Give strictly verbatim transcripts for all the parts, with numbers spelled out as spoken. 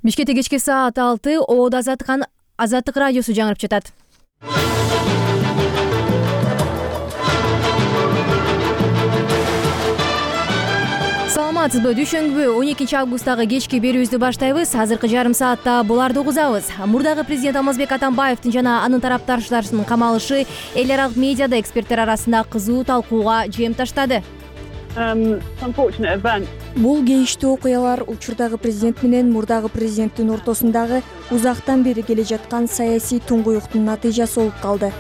Бишкекте кечки саат алты Ободо Азаттык Азаттык радиосу жаңырып жатат. Саламатсызбы? Дүйшөмбү он экинчи августтагы кечки берүүбүздү баштайбыз. Азыркы жарым саатта буларды угузабыз. Мурдагы президент Алмазбек Атамбаевдин жана анын тарапташтарынын камалышы эл аралык медиада эксперттер арасында кызуу талкууга жем таштады. Бул кейиштүү окуялар учурдагы президент менен мурдагы президенттин ортосундагы узактан бери келе жаткан саясий туңгуюктун натыйжасы болуп калды.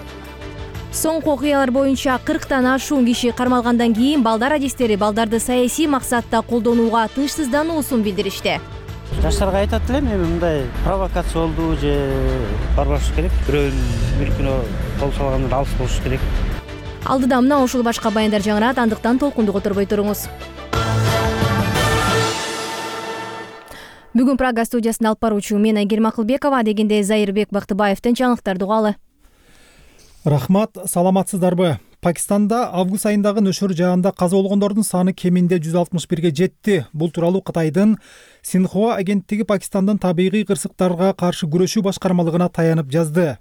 Соңку окуялар боюнча кырктан ашуун киши кармалгандан кийин балдар адистери балдарды саясий максатта колдонууга тынчсыздануусун билдиришти. Жаштарга айтат элем, эми мындай провокация болду же барбаш керек, бирөөнүн мүлкүнө кол салгандан алыс болуш керек. Алдыда мына ушул башка баяндар жаңырат, андыктан толкунду которбой туруңуз. Бүгүн Прага студиясында алып баруучу мен Айгерим Акылбекова, дегенде Зайырбек Бактыбаевдин жаңылыктарды угалы. Рахмат, саламатсыздарбы? Пакистанда август айындагы нөшөр жаанда каза болгондордун саны кеминде жүз алтымыш бирге жетти. Бул тууралуу Кытайдын Синхуа агенттиги Пакистандын табигый кырсыктарга каршы күрөшүү башкармалыгына таянып жазды.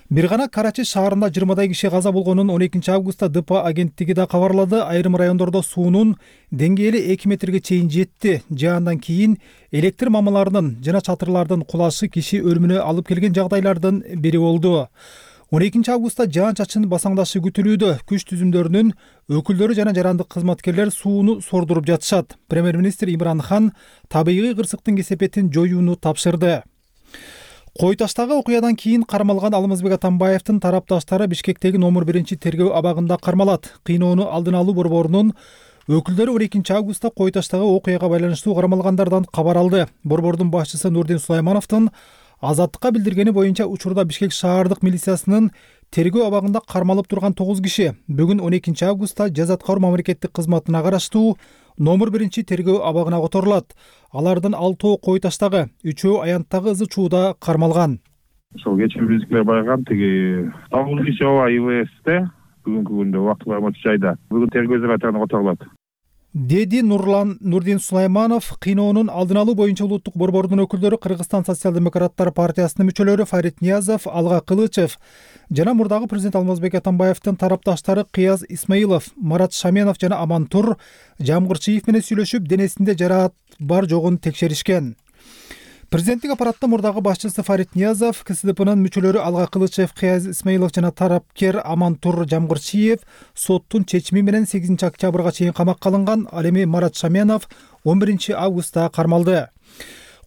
Бир гана Карачи шаарында жыйырмадай киши каза болгонун он экинчи августта ДП агенттиги да кабарлады. Айрым райондордо суунун деңгээли эки метрге чейин жетти. Жаандан кийин электр мамаларынын жана чатырлардын кулашы киши өлүмүнө алып келген жагдайлардын бири болду. он экинчи августта жаан-чачын басаңдашы күтүлүүдө. Күч түзүмдөрүнүн өкүлдөрү жана жарандык кызматкерлер сууну сордуруп жатышат. Премьер-министр Имран Хан табигый кырсыктын кесепетин жоюуну тапшырды. Кой таштагы окуядан кийин кармалган Алмазбек Атамбаевдин тарапташтары Бишкектеги номер биринчи тергөө абагында кармалат. Кыйноону алдын алуу борборунун өкүлдөрү он экинчи августта Кой таштагы окуяга байланыштуу кармалгандардан кабар алды. Борбордун башчысы Нурдин Сулаймановдун Азаттыкка билдиргени боюнча учурда Бишкек шаардык милициясынын тергөө абагында кармалып турган тогуз киши бүгүн он экинчи августта жаза аткаруу мамлекеттик кызматына караштуу номер биринчи тергөө абагына которулат. Алардын алтоо Кой таштагы, үчөө Аянттагы ызы чууда кармалган. Ошол кечээ бизгилер барган тиги тогуз киши ооба ИВСте бүгүнкү күндө убактылуу аймактык жайда бүгүн тергөө изоляторуна которулат. Деди Нурлан Нурдин Сулайманов. Кыйноонун алдын алуу боюнча улуттук борбордун өкүлдөрү Кыргызстан социал-демократтар партиясынын мүчөлөрү Фарид Ниязов, Алга Кылычев жана мурдагы президент Алмазбек Атамбаевдин тарапташтары Кыяз Исмаилов, Марат Шаменов жана Амантур Жамгырчиев менен сүйлөшүп, денесинде жараат бар жогун текшеришкен. Президенттик аппараттын мурдагы башчысы Фарид Ниязов, КСДПнын мүчөлөрү Алга Кылычев, Кыяз Исмаилов жана тарапкер Амантур Жамгырчиев соттун чечими менен сегизинчи октябрга чейин камакка алынган. Ал эми Марат Шаменов он биринчи августта кармалды.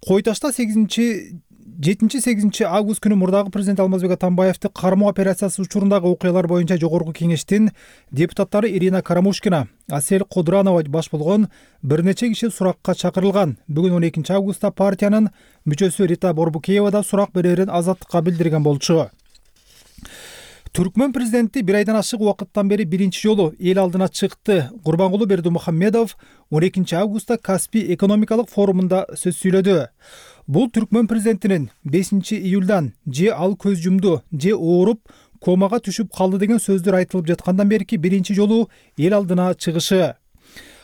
Кой ташта сегизинчи жетинчи сегизинчи август күнү мурдагы президент Алмазбек Атамбаевди кармоо операциясы учурундагы окуялар боюнча жогорку кеңештин депутаттары Ирина Карамушкина, Асель Кодранова баш болгон бир нече киши суракка чакырылган. Бүгүн он экинчи августта партиянын мүчөсү Рита Борбукеева да сурак берерин Азаттыкка билдирген болчу. Түркмөн президенти бир айдан ашык убакыттан бери биринчи жолу эл алдына чыкты. Курбангулы Бердимухамедов он экинчи августта Каспий экономикалык форумунда сөз сүйлөдү. Бул Түркмөн президентинин бешинчи июлдан же ал көз жумду, же ооруп, комага түшүп калды деген сөздөр айтылып жаткандан берки биринчи жолу эл алдына чыгышы.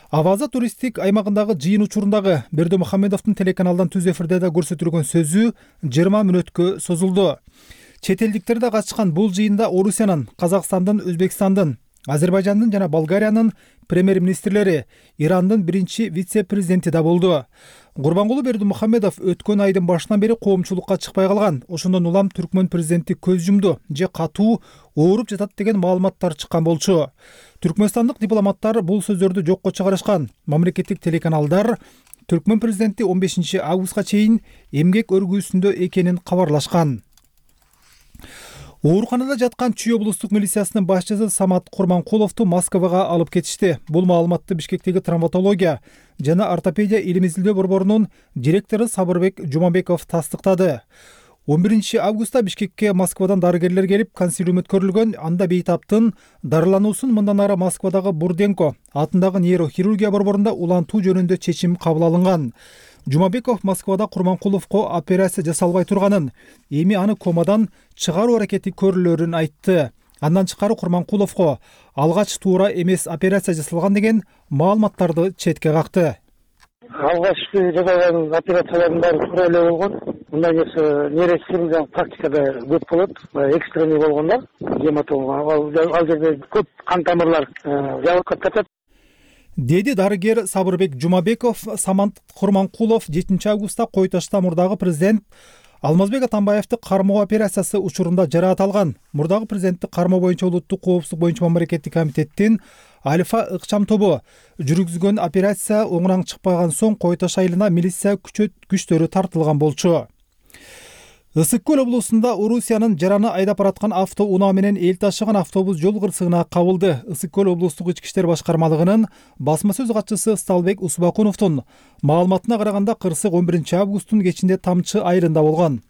Аваза туристтик аймагындагы жыйын учурундагы Бердимухамедовдун телеканалдан түз эфирде да көрсөтүлгөн сөзү жыйырма мүнөткө созулду. Чет элдиктер да катышкан бул жыйында Орусиянын, Казакстандын, Өзбекстандын, Азербайжандын жана Болгариянын премьер-министрлери, Ирандын биринчи вице-президенти да болду. Курбангулы Бердимухамедов өткөн айдын башынан бери коомчулукка чыкпай калган. Ошондон улам Түркмөн президенти көз жумду же катуу ооруп жатат деген маалыматтар чыккан болчу. Түркмөнстандык дипломаттар бул сөздөрдү жокко чыгарышкан. Мамлекеттик телеканалдар Түркмөн президенти он бешинчи августка чейин эмгек өргүүсүндө экенин кабарлашкан. Ооруканада жаткан Чүй облустук милициясынын башчысы Самат Курманкуловду Москвага алып кетишти. Бул маалыматты Бишкектеги травматология жана ортопедия илим изилдөө борборунун директору Сабырбек Жумабеков тастыктады. он биринчи августта Бишкекке Москвадан дарыгерлер келип, консилиум өткөрүлгөн. Анда бейтаптын дарылануусун мындан ары Москвадагы Бурденко атындагы нейрохирургия борборунда улантуу жөнүндө чечим кабыл алынган. Жумабеков Москвада Курманкуловго операция жасалбай турганын, эми аны комадан чыгаруу аракети көрүлөрүн айтты. Андан тышкары Курманкуловго алгач туура эмес операция жасалган деген маалыматтарды четке какты. Алгачкы жасалган операциялардын баары туура эле болгон. Мындай нерсе нейрохирургиялык практикада көп болот. Экстренный болгондо гематома ал жерде көп кан тамырлар жабылып кетет. Деди дарыгер Сабырбек Жумабеков. Самат Курманкулов жетинчи августта Кой Ташта мурдагы президент Алмазбек Атамбаевди кармоо операциясы учурунда жараат алган. Мурдагы президентти кармоо боюнча улуттук коопсуздук боюнча мамлекеттик комитеттин Альфа ыкчам тобу жүргүзгөн операция оңураң чыкпаган соң Кой Таш айылына милиция күчтөрү тартылган болчу. Ысык көл облусунда Орусиянын жараны айдап бараткан автоунаа менен эл ташыган автобус жол кырсыгына кабылды. Ысык көл облустук ички иштер башкармалыгынын басма сөз катчысы Сталбек Усбакуновдун маалыматына караганда кырсык он биринчи августтун кечинде Тамчы айылында болгон.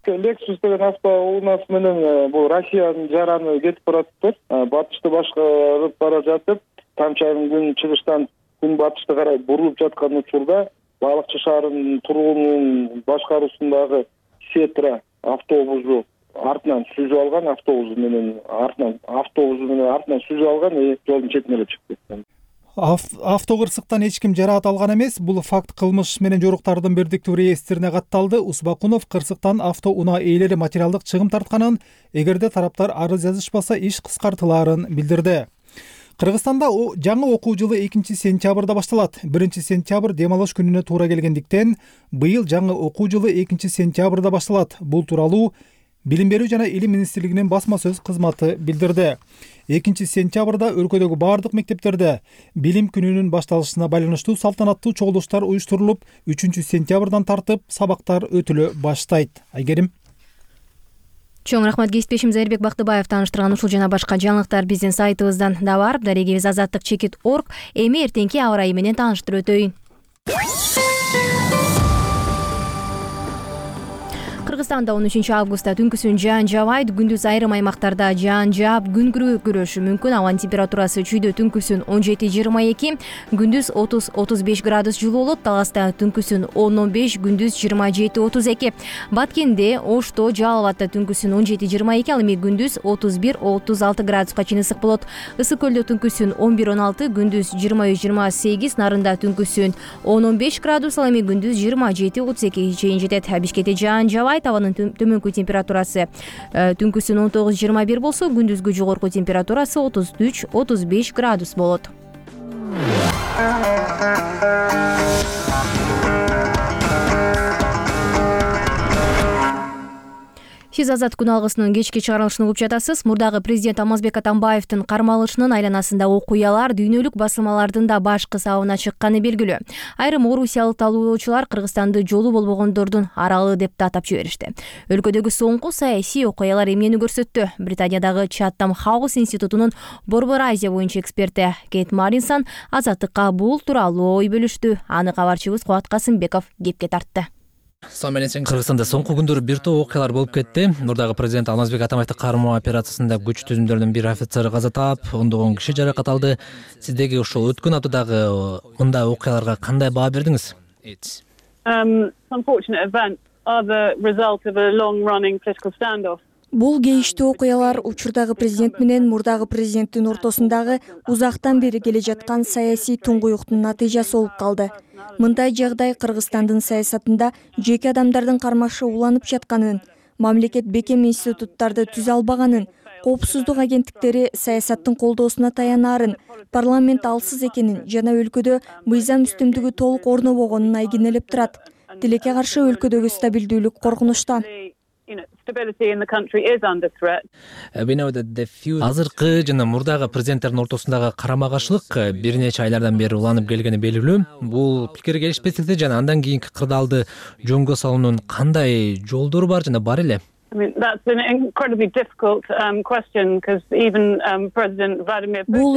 Lexus деген автоунаасы менен бул Россиянын жараны кетип баратыптыр. Батышты башкарып бара жатып, Тамчы айылынын чыгыштан күн батышты карай бурулуп жаткан учурда Балыкчы шаарынын тургунунун башкаруусундагы Сетра автобусу артынан сүзүп алган, автобус менен артынан автобус менен артынан сүзүп алган и жолдун четине эле чыгып кеткен. Автокырсыктан эч ким жараат алган эмес. Бул факт кылмыш менен жоруктардын бирдиктүү реестрине катталды. Усбакунов кырсыктан автоунаа ээлери материалдык чыгым тартканын, эгерде тараптар арыз жазышпаса иш кыскартылаарын билдирди. Кыргызстанда жаңы окуу жылы экинчи сентябрда башталат. биринчи сентябрь дем алыш күнүнө туура келгендиктен быйыл жаңы окуу жылы экинчи сентябрда башталат. Бул тууралуу Билим берүү жана илим министрлигинин басма сөз кызматы билдирди. экинчи сентябрда өлкөдөгү бардык мектептерде билим күнүнүн башталышына байланыштуу салтанаттуу чогулуштар уюштурулуп, үчүнчү сентябрдан тартып сабактар өтүлө баштайт. Айгерим. Чоң рахмат кесиптешим Зайырбек Бактыбаев тааныштырган ушул жана башка жаңылыктар биздин сайтыбыздан да бар. Дарегибиз азаттык чекит точка орг. Эми эртеңки аба ырайы менен тааныштырып өтөйүн. Кыргызстанда он үчүнчү августта түнкүсүн жаан жаабайт, күндүз айрым аймактарда жаан жаап, күн күрөшү мүмкүн. Абанын температурасы чүйдө түнкүсүн он жети жыйырма эки, күндүз отуз отуз беш градус жылуу болот. Таласта түнкүсүн он он беш, күндүз жыйырма жети отуз эки. Баткенде, Ошто, Жалал абадта түнкүсүн он жети жыйырма эки, ал эми күндүз отуз бир отуз алты градуска чейин ысык болот. Ысык көлдө түнкүсүн он бир он алты, күндүз жыйырма үч жыйырма сегиз, Нарында түнкүсүн он он беш градус, ал эми күндүз жыйырма жети отуз эки чейин жетет. Бишкекте жаан жаабайт. Абанын төмөнкү температурасы түнкүсүн он тогуз жыйырма бир болсо, күндүзгү жогорку температурасы отуз үч отуз беш градус болот. Сиз Азат күн алгысынын кечки чыгарылышын угуп жатасыз. Мурдагы президент Алмазбек Атамбаевдин кармалышынын айланасында окуялар, дүйнөлүк басылмалардын да баш кысабына чыкканы белгилүү. Айрым орусиялык талоочулар Кыргызстанды жолу болбогондордун аралы деп да атап жиберишти. Өлкөдөгү соңку саясий окуялар эмнени көрсөттү? Британиядагы Чаттам Хаус институтунун Борбор Азия боюнча эксперти Кейт Маринсон Азаттыкка бул тууралуу ой бөлүштү. Аны кабарчыбыз Кубат Касымбеков кепке тартты. Кыргызстанда соңку күндөрү бир топ окуялар болуп кетти. Мурдагы президент Алмазбек Атамбаевди кармоо операциясында күч түзүмдөрүнүн бир офицери каза таап, ондогон киши жаракат алды. Сиздеги ушул өткөн аптадагы мындай окуяларга кандай баа бердиңиз? Бул кейиштүү окуялар учурдагы президент менен мурдагы президенттин ортосундагы узактан бери келе жаткан саясий туңгуюктун натыйжасы болуп калды. Мындай жагдай Кыргызстандын саясатында жеке адамдардын кармашы уланып жатканын, мамлекет бекем институттарды түзө албаганын, коопсуздук агенттиктери саясаттын колдоосуна таянаарын, парламент алсыз экенин жана өлкөдө мыйзам үстүмдүгү толук орнобогонун айгинелеп турат. Тилекке каршы өлкөдөгү стабилдүүлүк коркунучта. Азыркы жана мурдагы президенттердин ортосундагы карама каршылык бир нече айлардан бери уланып келгени белгилүү. Бул пикир келишпестикти жана андан кийинки кырдаалды жөнгө салуунун кандай жолдору бар жана бар эле? Бул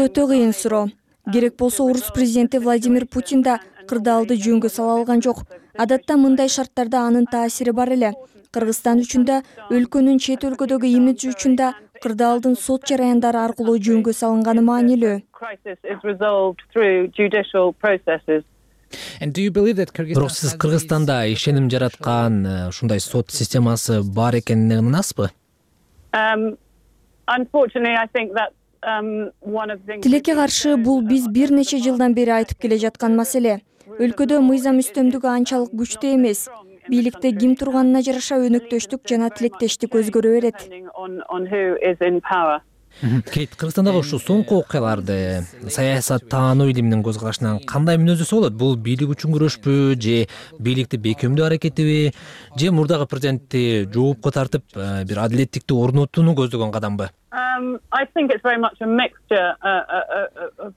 өтө кыйын суроо. Керек болсо орус президенти Владимир Путин да кырдаалды жөнгө сала алган жок. Адатта мындай шарттарда анын таасири бар эле. Кыргызстан үчүн да, өлкөнүн чет өлкөдөгү имиджи үчүн да кырдаалдын сот жараяндары аркылуу жөнгө салынганы маанилүү. Бирок сиз Кыргызстанда ишеним жараткан ушундай сот системасы бар экенине ынанасызбы? Тилекке каршы бул биз бир нече жылдан бери айтып келе жаткан маселе. өлкөдө мыйзам үстөмдүгү анчалык күчтүү эмес. Бийликте ким турганына жараша өнөктөштүк жана тилектештик өзгөрө берет. Кейт, Кыргызстандагы ушул соңку окуяларды саясат таануу илиминин көз карашынан кандай мүнөздөсө болот? Бул бийлик үчүн күрөшпү, же бийликти бекемдөө аракетиби, же мурдагы президентти жоопко тартып бир адилеттикти орнотууну көздөгөн кадамбы?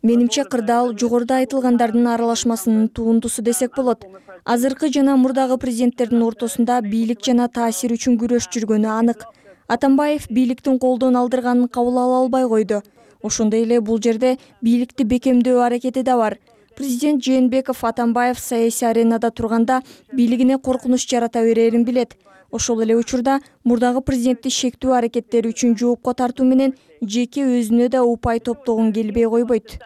Менимче кырдаал жогоруда айтылгандардын аралашмасынын туындусу десек болот. Азыркы жана мурдагы президенттердин ортосунда бийлик жана таасир үчүн күрөш жүргөнү анык. Атамбаев бийликтин колдон алдырганын кабыл ала албай койду. Ошондой эле бул жерде бийликти бекемдөө аракети да бар. Президент Жээнбеков Атамбаев саясий аренада турганда бийлигине коркунуч жарата берерин билет. Ошол эле учурда мурдагы президентти шектүү аракеттери үчүн жоопко тартуу менен жеке өзүнө да упай топтогон келбей койбойт.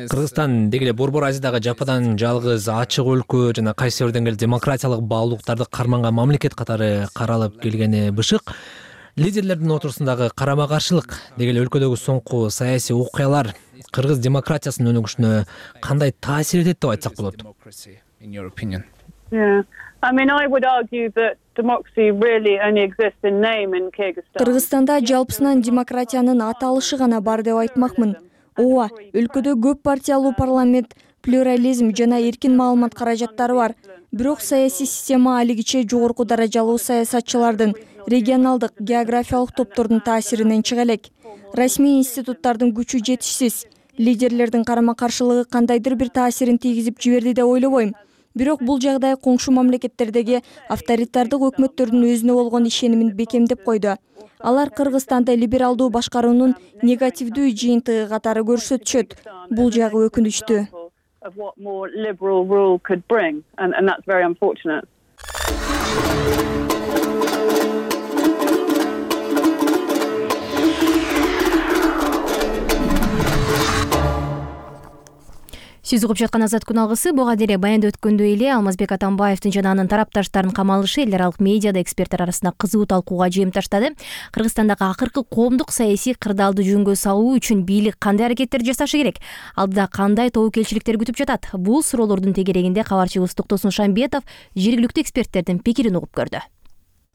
Кыргызстан деги эле Борбор Азиядагы жападан жалгыз ачык өлкө жана кайсы бир деңгээлде демократиялык баалуулуктарды карманган мамлекет катары каралып келгени бышык. Лидерлердин отурусундагы карама каршылык деги эле өлкөдөгү соңку саясий окуялар кыргыз демократиясынын өнүгүшүнө кандай таасир этет деп айтсак болот? Кыргызстанда жалпысынан демократиянын аталышы гана бар деп айтмакмын. Ооба, өлкөдө көп партиялуу парламент, плюрализм жана эркин маалымат каражаттары бар. Бирок саясий система алигиче жогорку даражалуу саясатчылардын, регионалдык, географиялык топтордун таасиринен чыга элек. Расмий институттардын күчү жетишсиз. Лидерлердин карама каршылыгы кандайдыр бир таасирин тийгизип жиберди деп ойлобойм. Бирок бул жагдай коңшу мамлекеттердеги авторитардык өкмөттөрдүн өзүнө болгон ишенимин бекемдеп койду. Алар Кыргызстанды либералдуу башкаруунун негативдүү жыйынтыгы катары көрсөтүшөт. Бул жагы өкүнүчтүү. Сиз угуп жаткан Азат күн алгысы буга деле баянда өткөндөй эле Алмазбек Атамбаевдин жана анын тарапташтарынын камалышы эл аралык медиада эксперттер арасында кызуу талкууга жыйынтыштады. Кыргызстандагы акыркы коомдук саясий кырдаалды жөнгө салуу үчүн бийлик кандай аракеттер жасашы керек? Алдыда кандай тобокелчиликтер күтүп жатат? Бул суроолордун тегерегинде кабарчыбыз Токтосун Шамбетов жергиликтүү эксперттердин пикирин угуп көрдү.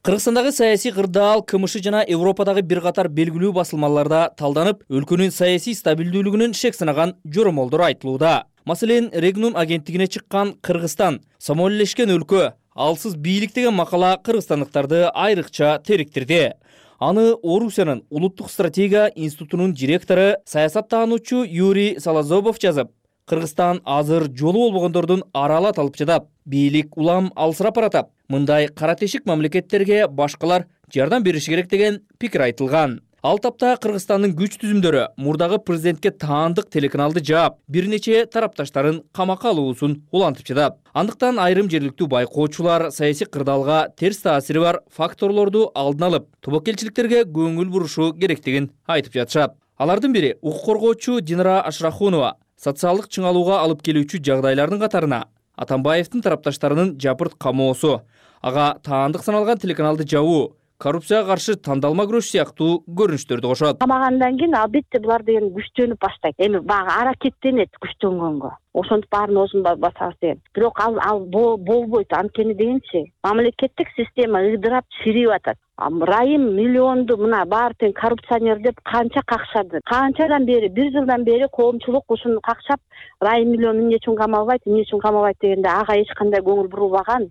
Кыргызстандагы саясий кырдаал КМШ жана Европадагы бир катар белгилүү басылмаларда талданып, өлкөнүн саясий стабилдүүлүгүнүн шек санаган жоромолдор айтылууда. Маселен, Регнум агенттигине чыккан Кыргызстан самоэллешкен өлкө, алсыз бийлик деген макала кыргызстандыктарды айрыкча териктирди. Аны Орусиянын Улуттук стратегия институтунун директору, саясаттаануучу Юрий Салазобов жазып, Кыргызстан азыр жолу болбогондордун аралат алып жатат. Бийлик улам алсырап баратат. Мындай кара тешик мамлекеттерге башкалар жардам бериши керек деген пикир айтылган. Ал тапта Кыргызстандын күч түзүмдөрү мурдагы президентке таандык телеканалды жаап, бир нече тарапташтарын камакка алуусун улантып жатат. Андыктан айрым жергиликтүү байкоочулар саясий кырдаалга терс таасири бар факторлорду алдын алып, тобокелчиликтерге көңүл бурушу керектигин айтып жатышат. Алардын бири укук коргоочу Динара Ашрахунова. Социалдык чыңалууга алып келүүчү жагдайлардын катарына Атамбаевдин тарапташтарынын жапырт камоосу, ага таандык саналган телеканалды жабуу, коррупцияга каршы тандалма күрөш сыяктуу көрүнүштөрдү кошот. Камагандан кийин албетте булар деген күчтөнүп баштайт. Эми багы аракеттенет күчтөнгөнгө. Ошентип баарын өзүн басабыз деген. Бирок ал ал болбойт. Анткени дегенчи, мамлекеттик система ыдырап чирип атат. Райым миллионду мына баары тең коррупционер деп канча какшады. Канчадан бери, бир жылдан бери коомчулук ушуну какшап, Райым миллион эмне үчүн камалбайт, эмне үчүн камалбайт дегенде ага эч кандай көңүл бурулбаган.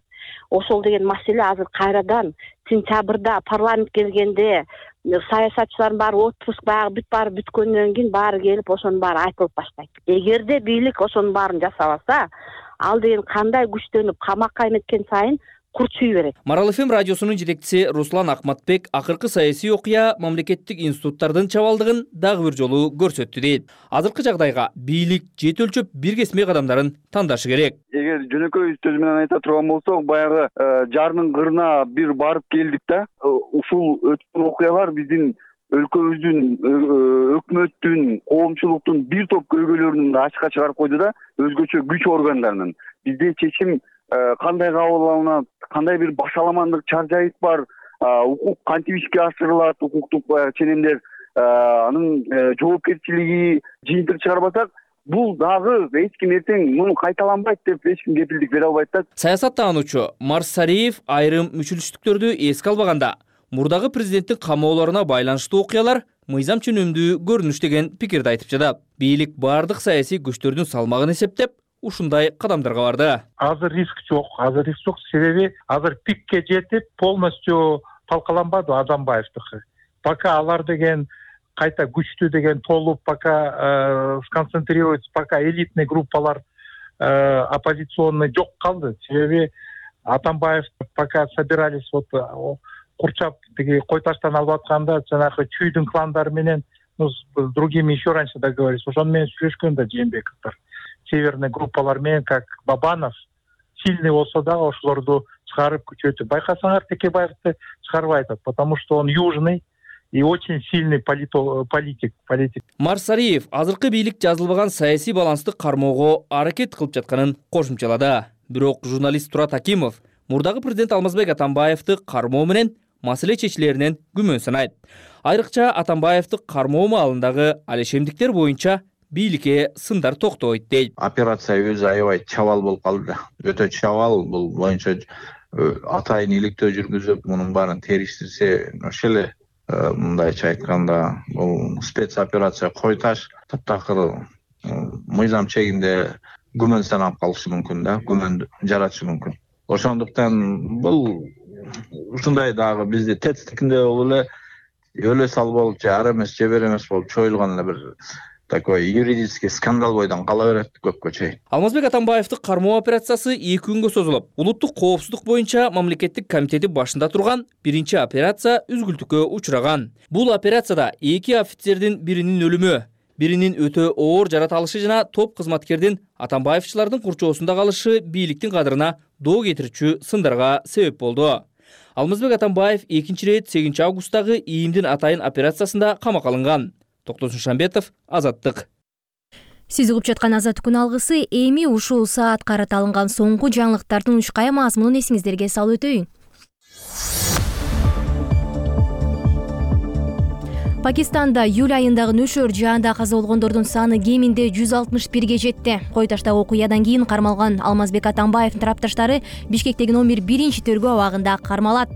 Ошол деген маселе азыр кайрадан сентябрда парламент келгенде саясатчылардын баары отпуск баягы бүт баары бүткөндөн кийин баары келип ошонун баары айтылып баштайт. Эгерде бийлик ошонун баарын жасабаса, ал деген кандай күчтөнүп камакка эметкен сайын курчуй берет. Марал эф эм радиосунун жетекчиси Руслан Акматбек акыркы саясий окуя мамлекеттик институттардын чабалдыгын дагы бир жолу көрсөттү дейт. Азыркы жагдайга бийлик жети өлчөп бир кесме кадамдарын тандашы керек. Эгер жөнөкөй сөз менен айта турган болсок, баягы жарнын кырына бир барып келдик да, ушул өткөн окуялар биздин өлкөбүздүн, өкмөттүн, коомчулуктун бир топ көйгөйлөрүн ачыкка чыгарып койду да, өзгөчө күч органдарынын. Бизде чечим кандай кабыл алынат, кандай бир башаламандык чаржайыт бар, укук кантип ишке ашырылат, укуктук ченемдер анын жоопкерчилиги жыйынтык чыгарбасак, бул дагы эч ким эртең муну кайталанбайт деп эч ким кепилдик бере албайт да. Саясаттануучу Марс Сариев айрым мүчүлүштүктөрдү эске албаганда мурдагы президенттин камоолоруна байланыштуу окуялар мыйзам чөнүмдүү көрүнүш деген пикирди айтып жатат. Бийлик бардык саясий күчтөрдүн салмагын эсептеп, ушундай кадамдарга барды. Азыр риск жок, азыр риск жок, себеби азыр пикке жетип полностью талкаланбады Атамбаевдики. Пока алар деген кайта күчтүү деген толуп, пока сконцентрируется, пока элитный группалар оппозиционный жок калды. Себеби Атамбаев пока собирались вот курчап тиги кой таштан алып атканда, жанагы чүйдүн кландары менен, ну, с другими еще раньше договорились. Ошону менен сүйлөшкөн да Жээнбековдор. Северный группалар менен, как Бабанов, сильный болсо дагы ошолорду чыгарып күчөтүп. Байкасаңар Текебаевди чыгарбай атат, потому что он южный и очень сильный политик. политик. Марс Сариев азыркы бийлик жазылбаган саясий балансты кармоого аракет кылып жатканын кошумчалады. Бирок журналист Турат Акимов мурдагы президент Алмазбек Атамбаевди кармоо менен маселе чечилеринен күмөн санайт. Айрыкча Атамбаевди кармоо маалындагы алешемдиктер боюнча бийликке сындар токтобойт дейт. Операция өзү аябай чабал болуп калды. Өтө чабал, бул боюнча атайын иликтөө жүргүзүп, мунун баарын териштирсе, ошол эле мындайча айтканда, бул спецоперация кой таш таптакыр мыйзам чегинде күмөн саналып калышы мүмкүн да, күмөн жаратышы мүмкүн. Ошондуктан бул ушундай дагы бизде тетстикинде болуп эле өлө сал болуп, же ар эмес, же бер эмес болуп чоюлган эле бир такой юридический скандал бойдон кала берет көпкө чейин. Алмазбек Атамбаевди кармоо операциясы эки күнгө созулуп, улуттук коопсуздук боюнча мамлекеттик комитети башында турган биринчи операция үзгүлтүккө учураган. Бул операцияда эки офицердин биринин өлүмү, биринин өтө оор жарат алышы жана топ кызматкердин Атамбаевчылардын курчоосунда калышы бийликтин кадырына доо кетирүүчү сындарга себеп болду. Алмазбек Атамбаев экинчи ирет сегизинчи августтагы ИИМдин атайын операциясында камакка алынган. Токтосун Шамбетов, Азаттык. Сиз угуп жаткан Азаттыктын алгысы эми ушул саат карата алынган соңку жаңылыктардын учкая мазмунун эсиңиздерге салып өтөйүн. Пакистанда июль айындагы нөшөр жаанда каза болгондордун саны кеминде жүз алтымыш бирге жетти. Кой таштагы окуядан кийин кармалган Алмазбек Атамбаевдин тарапташтары Бишкектеги номер биринчи тергөө абагында кармалат.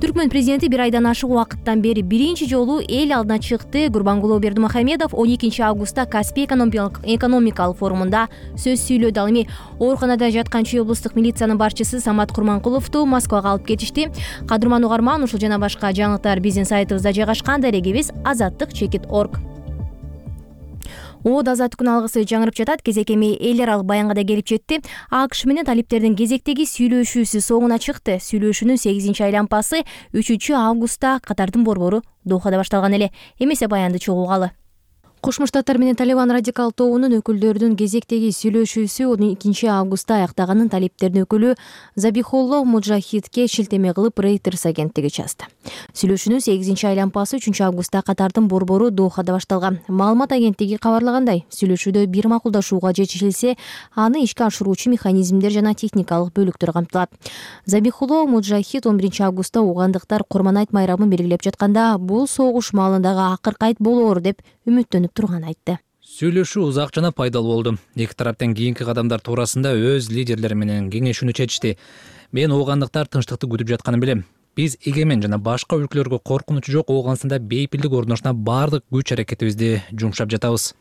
Түркмөн президенти бир айдан ашык убакыттан бери биринчи жолу эл алдына чыкты. Гурбангулы Бердимухамедов он экинчи августта Каспий экономикалык форумунда сөз сүйлөдү. Ал эми ооруканада жаткан Чүй облустук милициянын башчысы Самат Курманкуловду Москвага алып кетишти. Кадырман угарман, ушул жана башка жаңылыктар биздин сайтыбызда жайгашкан. Дарегибиз азаттык чекит точка орг. Оод азаттыктын алгысы жаңырып жатат. Кезек эми эл аралык баянга да келип жетти. АКШ менен талиптердин кезектеги сүйлөшүүсү соңуна чыкты. Сүйлөшүүнүн сегизинчи айланпасы үчүнчү августта Катардын борбору Дохада башталган эле. Эмесе баянды чогуу угалы. Кошмо Штаттар менен Талибан радикал тобунун өкүлдөрүнүн кезектеги сүйлөшүүсү он экинчи августта аяктаганын талиптердин өкүлү Забихулло Муджахидке шилтеме кылып Reuters агенттиги жазды. Сүйлөшүүнүн сегизинчи айланпасы үчүнчү августта Катардын борбору Дохада башталган. Маалымат агенттиги кабарлагандай, сүйлөшүүдө бир макулдашууга жетишилсе, аны ишке ашыруучу механизмдер жана техникалык бөлүктөр камтылат. Забихулло Муджахид он биринчи августта угандыктар Курманайт майрамын белгилеп жатканда, бул согуш маалындагы акыркы айт болоор деп үмүттөнүп турган айтты. Сүйлөшүү узак жана пайдалуу болду. Эки тараптын кийинки кадамдар туурасында өз лидерлери менен кеңешүүнү чечишти. Мен оогандыктар тынчтыкты күтүп жатканын билем. Биз эгемен жана башка өлкөлөргө коркунучу жок Ооганстанда бейпилдик орношуна бардык күч аракетибизди жумшап жатабыз.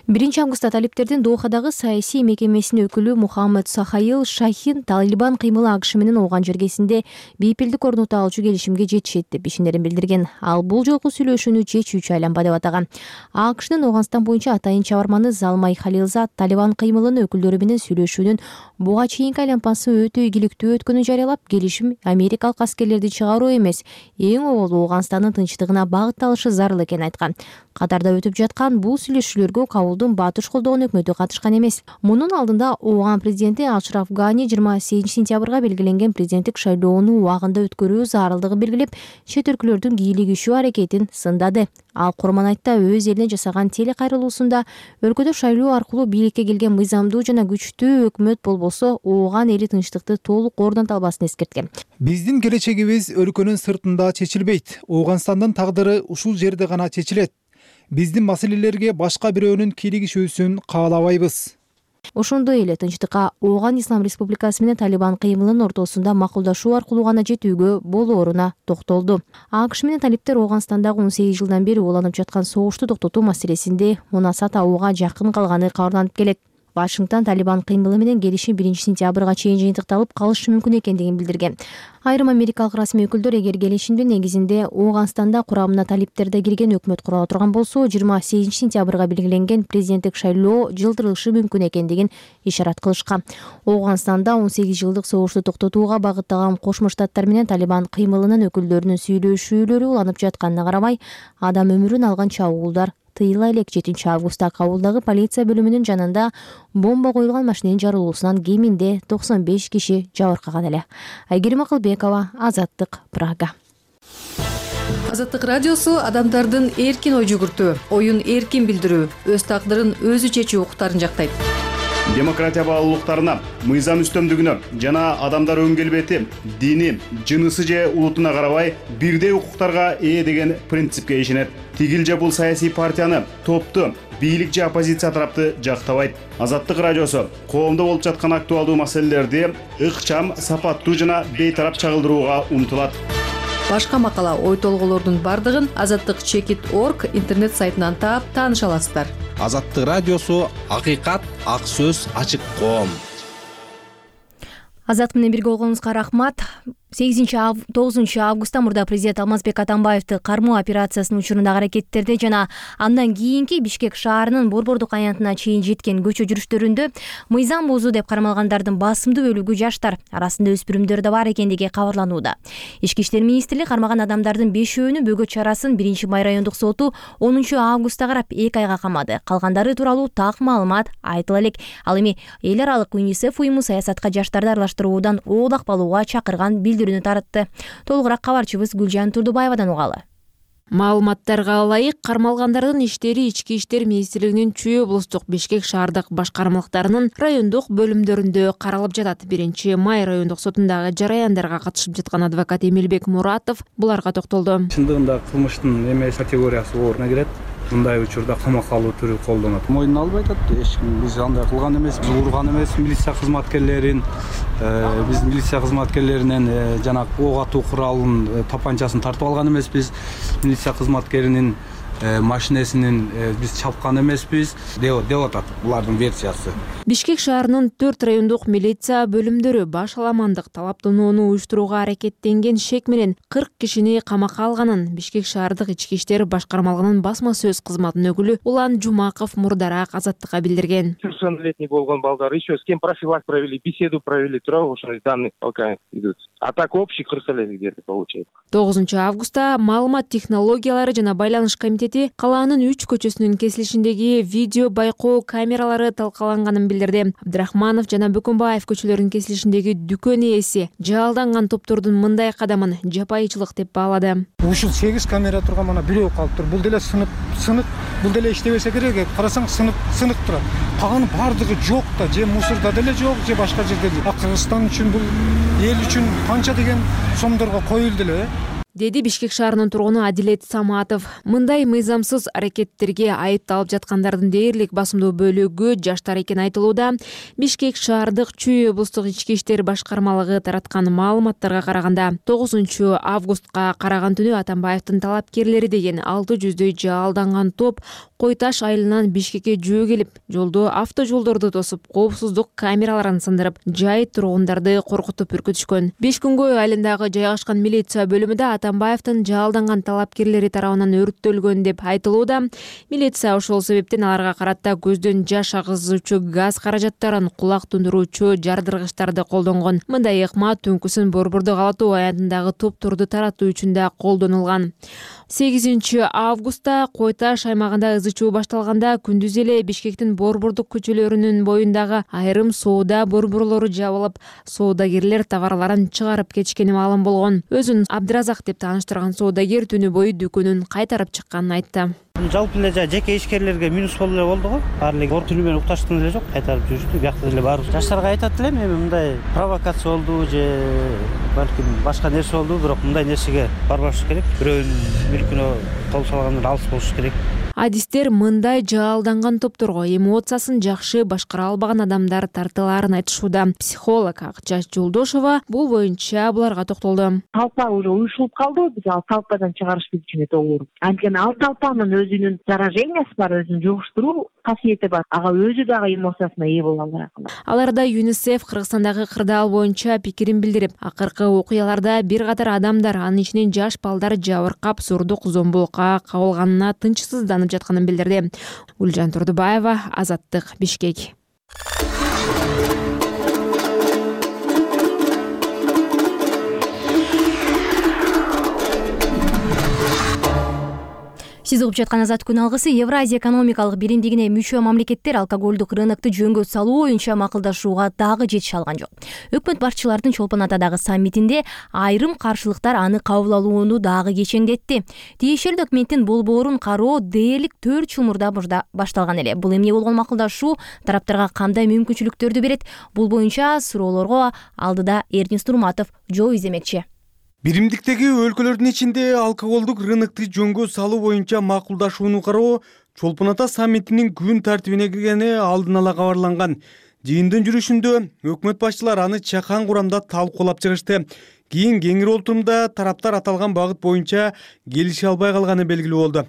биринчи августта талиптердин Дохадагы саясий мекемесинин өкүлү Мухаммед Сахаил Шахин Талибан кыймылы АКШ менен Ооган жергесинде бейпилдик орнотуп алчу келишимге жетишет деп ишеnerин билдирген. Ал бул жолку сүйлөшүүнү чечүүчү айланба деп атаган. АКШнын Ооганстан боюнча атайын чабарманы Залмай Халилзад Талибан кыймылынын өкүлдөрү менен сүйлөшүүнүн буга чейинки айланпасы өтө ийгиликтүү өткөнүн жарыялап, келишим америкалык аскерлерди чыгаруу эмес, эң оболу Ооганстандын тынчтыгына багытталышы зарыл экенин айткан. Катарда өтүп жаткан бул сүйлөшүүлөргө чабуулдун батыш колдогон өкмөтү катышкан эмес. Мунун алдында Ооган президенти Ашраф Гани жыйырма сегизинчи сентябрга белгиленген президенттик шайлоону убагында өткөрүү зарылдыгын белгилеп, чет өлкөлөрдүн кийлигишүү аракетин сындады. Ал Курманайтта өз элине жасаган телекайрылуусунда өлкөдө шайлоо аркылуу бийликке келген мыйзамдуу жана күчтүү өкмөт болбосо Ооган эли тынчтыкты толук орното албасын эскерткен. Биздин келечегибиз өлкөнүн сыртында чечилбейт. Ооганстандын тагдыры ушул жерде гана чечилет. Биздин маселелерге башка бирөөнүн кийлигишүүсүн каалабайбыз. Ошондой эле тынчтыкка Ооган Ислам Республикасы менен Талибан кыймылынын ортосунда макулдашуу аркылуу гана жетүүгө болооруна токтолду. АКШ менен талиптер Ооганстандагы он сегиз жылдан бери уланып жаткан согушту токтотуу маселесинде мунаса табууга жакын калганы кабарланып келет. Вашингтон Талибан кыймылы менен келишим биринчи сентябрга чейин жыйынтыкталып калышы мүмкүн экендигин билдирген. Айрым америкалык расмий өкүлдөр эгер келишимдин негизинде Ооганстанда курамына талиптерде кирген өкмөт кура турган болсо, жыйырма сегизинчи сентябрга белгиленген президенттик шайлоо жылдырылышы мүмкүн экендигин ишарат кылышкан. Ооганстанда он сегиз жылдык согушту токтотууга багыттаган Кошмо Штаттар менен Талибан кыймылынын өкүлдөрүнүн сүйлөшүүлөрү уланып жатканына карабай, адам өмүрүн алган чабуулдар тыйыла элек. жетинчи августта Кабулдагы полиция бөлүмүнүн жанында бомба коюлган машиненин жарылуусунан кеминде токсон беш киши жабыркаган эле. Айгерим Акылбекова, Азаттык, Прага. Азаттык радиосу адамдардын эркин ой жүгүртүү, оюн эркин билдирүү, өз тагдырын өзү чечүү укуктарын жактайт. Демократия баалуулуктарына, мыйзам үстөмдүгүнө жана адамдар өң келбети, дини, жынысы же улутуна карабай бирдей укуктарга ээ деген принципке ишенет. Тигил же бул саясий партияны, топту, бийлик же оппозиция тарапты жактабайт. Азаттык радиосу коомдо болуп жаткан актуалдуу маселелерди ыкчам, сапаттуу жана бейтарап чагылдырууга умтулат. Башка макала, ой толголордун бардыгын азаттык чекит точка орг интернет сайтынан таап тааныша аласыздар. Азаттык радиосу акыйкат, ак сөз, ачык коом. Азат менен бирге болгонуңузга рахмат. сегизинчи тогузунчу августта мурда президент Алмазбек Атамбаевди кармоо операциясынын учурундагы аракеттерде жана андан кийинки Бишкек шаарынын Борбордук аянтына чейин жеткен көчө жүрүштөрүндө мыйзам бузуу деп кармалгандардын басымдуу бөлүгү жаштар, арасында өспүрүмдөр да бар экендиги кабарланууда. Ички иштер министрлиги кармаган адамдардын бешөөнүн бөгөт чарасын биринчи май райондук соту онунчу августта карап эки айга камады. Калгандары тууралуу так маалымат айтыла элек. Ал эми эл аралык ЮНИСЕФ уюму саясатка жаштарды аралаштыруудан оолак балууга чакырган билдирүүнү таратты. Толугураак кабарчыбыз Гүлжан Турдубаевадан угалы. Маалыматтарга ылайык, кармалгандардын иштери Ички иштер министрлигинин Чүй облустук Бишкек шаардык башкармалыктарынын райондук бөлүмдөрүндө каралып жатат. биринчи май райондук сотундагы жараяндарга катышып жаткан адвокат Эмилбек Муратов буларга токтолду. Чындыгында кылмыштын эмес категориясы ооруна кирет. Мындай учурда камакка алуу түрү колдонот. Мойнуна албай атат. Эч ким биз андай кылган эмес, биз урган эмес милиция кызматкерлерин, биз милиция кызматкерлеринен жанагы ок атуу куралын, тапанчасын тартып алган эмеспиз. Милиция кызматкеринин машинесинин биз чапкан эмеспиз деп атат булардын версиясы. Бишкек шаарынын төрт райондук милиция бөлүмдөрү баш аламандык талаптанууну уюштурууга аракеттенген шек менен кырк кишини камакка алганын Бишкек шаардык ички иштер башкармалыгынын басма сөз кызматынын өкүлү Улан Жумаков мурдараак Азаттыкка билдирген. Совершеннолетний болгон балдар еще с кем профилак провели, беседу провели, туурабы ошондой данные пока идут. А так общий кырк эле где-то получается. тогузунчу августта маалымат технологиялары жана байланыш комитети калаанын үч көчөсүнүн кесилишиндеги видео байкоо камералары талкаланганын билдирди. Абдрахманов жана Бөкөнбаев көчөлөрүнүн кесилишиндеги дүкөн ээси жалданган топтордун мындай кадамын жапайычылык деп баалады. Ушул сегиз камера турган мана бирөө калыптыр. Бул деле сынып, сынык, бул деле иштебесе керек. Карасаң сынып, сынык турат. Калган бардыгы жок да, же мусорда деле жок, же башка жерде. А Кыргызстан үчүн бул эл үчүн канча деген сомдорго коюлду эле, деди Бишкек шаарынын тургуну Адилет Саматов. Мындай мыйзамсыз аракеттерге айыпталып жаткандардын дээрлик басымдуу бөлүгү жаштар экени айтылууда. Бишкек шаардык Чүй облустук ички иштер башкармалыгы тараткан маалыматтарга караганда тогузунчу августка караган түнү Атамбаевдин талапкерлери деген алты жүздөй жалданган топ Кой Таш айылынан Бишкекке жөө келип, жолдо автожолдорду тосуп, коопсуздук камераларын сындырып, жай тургундарды коркутуп үркүтүшкөн. беш күнгөй айылындагы жайгашкан милиция бөлүмүндө Атамбаевдин жалданган талапкерлери тарабынан өрттөлгөн деп айтылууда. Милиция ошол себептен аларга карата көздөн жаш агызуучу газ каражаттарын, кулак тундуруучу жардыргычтарды колдонгон. Мындай ыкма Түнкүсүн Борбордук Ала-Тоо аянтындагы топтурду таратуу үчүн да колдонулган. сегизинчи августта Кой Таш аймагында ызы чуу башталганда күндүз эле Бишкектин борбордук көчөлөрүнүн боюндагы айрым соода борборлору жабылып, соодагерлер товарларын чыгарып кетишкени маалым болгон. Өзүн Абдыразак деп тааныштырган соодагер түнү бою дүкөнүн кайтарып чыкканын айтты. Жалпы эле жеке ишкерлерге минус болуп эле болду го. Баары эле ор түнү менен укташкан эле жок, кайтарып жүрүштү. Биякта деле бар. Жаштарга айтат элем, эми мындай провокация болду же балким башка нерсе болду, бирок мындай нерсеге барбаш керек. Бирөөнүн мүлкүнө кол салгандан алыс болуш керек. Адистер мындай жалданган топторго эмоциясын жакшы башкара албаган адамдар тартылаарын айтышууда. Психолог Акчаш Жолдошова бул боюнча буларга токтолду. Талпа уже уюшулуп калды, биз ал талпадан чыгарыш биз үчүн өтө оор. Анткени ал талпанын өзүнүн заражениясы бар, өзүн жугуштуруу касиети бар. Ага өзү дагы эмоциясына ээ боло алат. Аларда ЮНИСЕФ Кыргызстандагы кырдаал боюнча пикирин билдирип, акыркы окуяларда бир катар адамдар, анын ичинен жаш балдар жабыркап, сурдук зомбулукка кабылганына тынчсызданып жатканын билдирди. Гүлжан Турдубаева, Азаттык, Бишкек. Сиз угуп жаткан Азат күн алгысы Евразия экономикалык биримдигине мүчө мамлекеттер алкоголдук рынокду жөнгө салуу боюнча макулдашууга дагы жетише алган жок. Өкмөт башчылардын Чолпон Атадагы саммитинде айрым каршылыктар аны кабыл алууну дагы кечеңдетти. Тиешелүү документтин болбоорун кароо дээрлик төрт жыл мурда башталган эле. Бул эмне болгон макулдашуу тараптарга кандай мүмкүнчүлүктөрдү берет? Бул боюнча суроолорго алдыда Эрдин Стурматов жооп иземекчи. Биримдиктеги өлкөлөрдүн ичинде алкоголдук рынокту жөнгө салуу боюнча макулдашууну кароо Чолпон Ата саммитинин күн тартибине киргени алдын ала кабарланган. Жыйындын жүрүшүндө өкмөт башчылары аны чакан курамда талкуулап чыгышты. Кийин кеңири отурумда тараптар аталган багыт боюнча келише албай калганы белгилүү болду.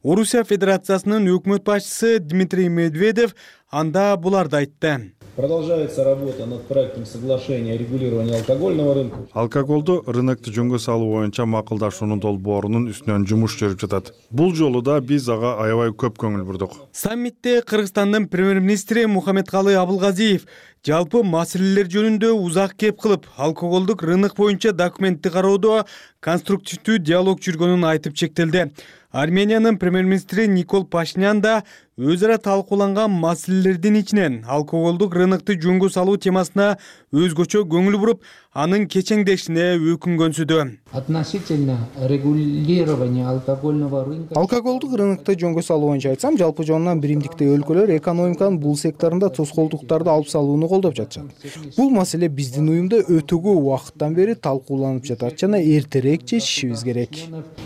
Орусия Федерациясынын өкмөт башчысы Дмитрий Медведев анда буларды айтты. Продолжается работа над проектом соглашения о регулировании алкогольного рынка. Алкоголду рынокду жөнгө салуу боюнча макулдашуунун долбоорунун үстүнөн жумуш жүрүп жатат. Бул жолу да биз ага аябай көп көңүл бурдук. Саммитте Кыргызстандын премьер-министри Мухаммедкалый Абылгазиев жалпы маселелер жөнүндө узак кеп кылып, алкоголдук рынок боюнча документти кароодо конструктивдүү диалог жүргөнүн айтып чектелди. Армениянын премьер-министри Никол Пашинян да өз ара талкууланган маселелердин ичинен алкоголдук рынокту жөнгө салуу темасына өзгөчө көңүл буруп, анын кечеңдешине өкүнгөнсүдө. Относительно регулирования алкогольного рынка. Алкоголдук рынокто жөнгө салуу боюнча айтсам, жалпы жонунан биримдиктеги өлкөлөр экономиканын бул секторунда тоскоолдуктарды алып салууну колдоп жатышат. Бул маселе биздин уюмда өтө көп убакыттан бери талкууланып жатат жана эртерээк чечишибиз керек.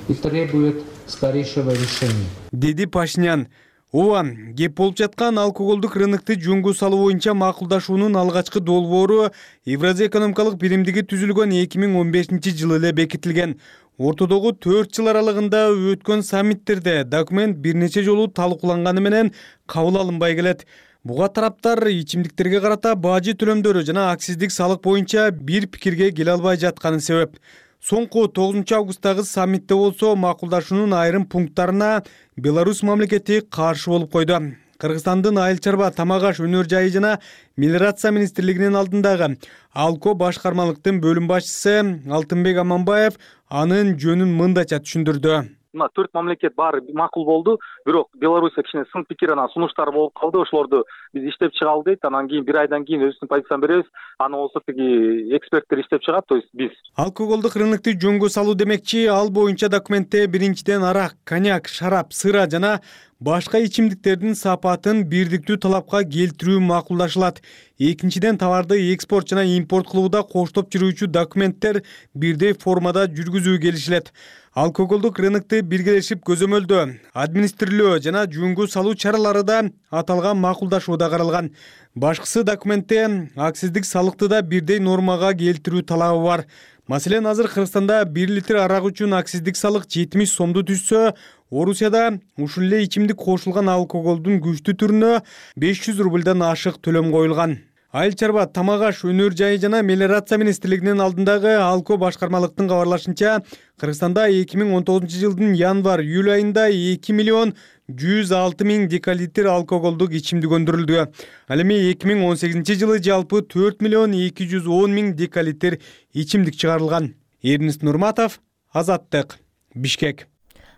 И требует скорейшего решения. Деди Пашинян. Ооба, кеп болуп жаткан алкоголдук рынокту жөнгө салуу боюнча макулдашуунун алгачкы долбоору Евразия экономикалык биримдиги түзүлгөн эки миң он бешинчи жылы эле бекитилген. Ортодогу төрт жыл аралыгында өткөн саммиттерде документ бир нече жолу талкууланганы менен кабыл алынбай келет. Буга тараптар ичимдиктерге карата бажы төлөмдөрү жана акциздик салык боюнча бир пикирге келе албай жатканы себеп. Соңку тогузунчу августтагы саммитте болсо макулдашуунун айрым пункттарына Беларусь мамлекети каршы болуп койду. Кыргызстандын айыл чарба, тамак аш, өнөр жайы жана мелиорация министрлигинин алдындагы Алко башкармалыктын бөлүм башчысы Алтынбек Аманбаев анын жөнүн мындайча түшүндүрдү. Мына төрт мамлекет баары макул болду, бирок Беларусь кичине сын пикир анан сунуштар болуп калды. Ошолорду биз иштеп чыгалы дейт. Анан кийин бир айдан кийин өзүбүздүн позицияны беребиз. Аны болсо тиги эксперттер иштеп чыгат, то есть биз. Алкоголдук рынокту жөнгө салуу демекчи, ал боюнча документте биринчиден арак, коньяк, шарап, сыра жана башка ичимдиктердин сапатын бирдиктүү талапка келтирүү макулдашылат. Экинчиден товарды экспорт жана импорт кылууда коштоп жүрүүчү документтер бирдей формада жүргүзүү келишилет. Алкоголдук рынокту биргелешип көзөмөлдөө, администрирөө жана жөнгө салуу чаралары да аталган макулдашууда каралган. Башкысы документте акциздик салыкты да бирдей нормага келтирүү талабы бар. Маселен, азыр Кыргызстанда бир литр арак үчүн акциздик салык жетимиш сомду түзсө, Орусияда ушул эле ичимдик кошулган алкоголдун күчтүү түрүнө беш жүз рубльдан ашык төлөм коюлган. Айыл чарба, тамак аш, өнөр жайы жана мелиорация министрлигинин алдындагы Алко башкармалыктын кабарлашынча, Кыргызстанда эки миң он тогузунчу жылдын январь-июль айында эки миллион жүз алты миң декалитр алкоголдук ичимдик өндүрүлдү. Ал эми эки миң он сегизинчи жылы жалпы төрт миллион эки жүз он миң декалитр ичимдик чыгарылган. Эрнест Нурматов, Азаттык, Бишкек.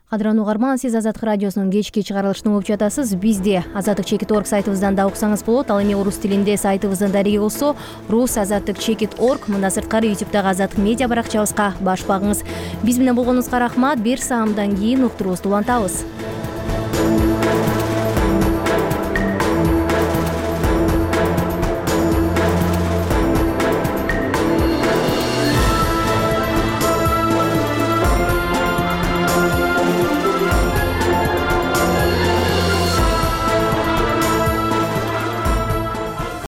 Кадырлуу угарман, сиз Азаттык радиосунун кечки чыгарылышын угуп жатасыз. Бизди азаттык чекит орг сайтыбыздан да уксаңыз болот. Ал эми орус тилинде сайтыбыздын дареги болсо рус азаттык чекит орг, мында сырткары ютубтагы азаттык медиа баракчабызга баш багыңыз. Биз менен болгонуңузга рахмат. Бир саамдан кийин уктуруубузду улантабыз.